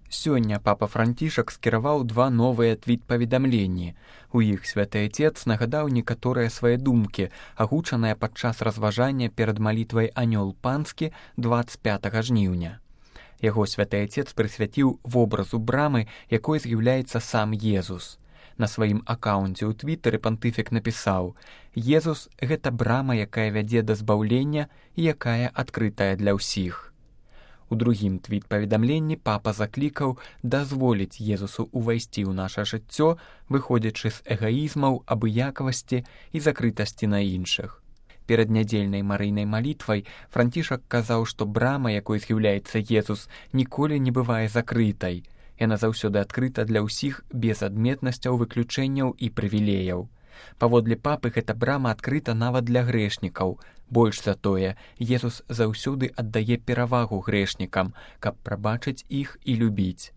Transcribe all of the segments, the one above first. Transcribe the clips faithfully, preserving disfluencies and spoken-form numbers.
Сёння папа Францішак скіраваў два новыя твіт-паведамленні. У іх святы Отец нагадаў некаторыя свае думкі, агучаныя падчас разважання перад малітвай «Анёл панскі» дваццаць пятага жніўня. Яго святы Отец прысвяціў вобразу брамы, якой з'яўляецца сам Езус. На сваім акаунце ў твітары пантыфік напісаў: «Езус – гэта брама, якая вядзе да збаўлення і якая адкрытая для ўсіх». У другім твіт-паведамленні папа заклікаў дазволіць Езусу ўвайсці ў наша жыццё, выходзячы з эгаізмаў, абыякавасці і закрытасці на іншых. Перад нядзельнай марыйнай малітвай Францішак казаў, што брама, якой з'яўляецца Езус, ніколі не бывае закрытай. Яна заўсёды адкрыта для ўсіх без адметнасцяў, выключэнняў і прывілеяў. Паводле папы, гэта брама адкрыта нават для грэшнікаў. Больш за тое, Езус заўсёды аддае перавагу грэшнікам, каб прабачыць іх і любіць.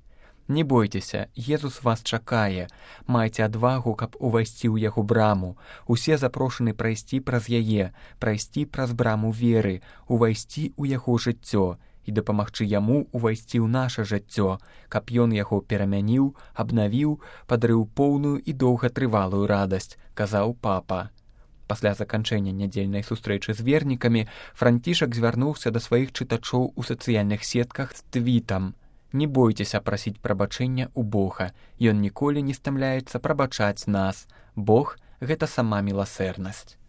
Не бойцеся, Езус вас чакае. Майце адвагу, каб увайсці ў яго браму. Усе запрошаны прайсці праз яе, прайсці праз браму веры, увайсці ў яго жыццё і дапамагчы яму увайсці ў наша жыццё, каб ён яго перамяніў, абнавіў, падарыў поўную і доўгатрывалую радасць, казаў папа. Пасля заканчэння нядзельнай сустрэчы з вернікамі Францішак звярнуўся да сваіх чытачоў у сацыяльных сетках з твітам: «Не бойцеся прасіць прабачэння ў Бога. Ён ніколі не стамляецца прабачаць нас. Бог – гэта сама міласэрнасць».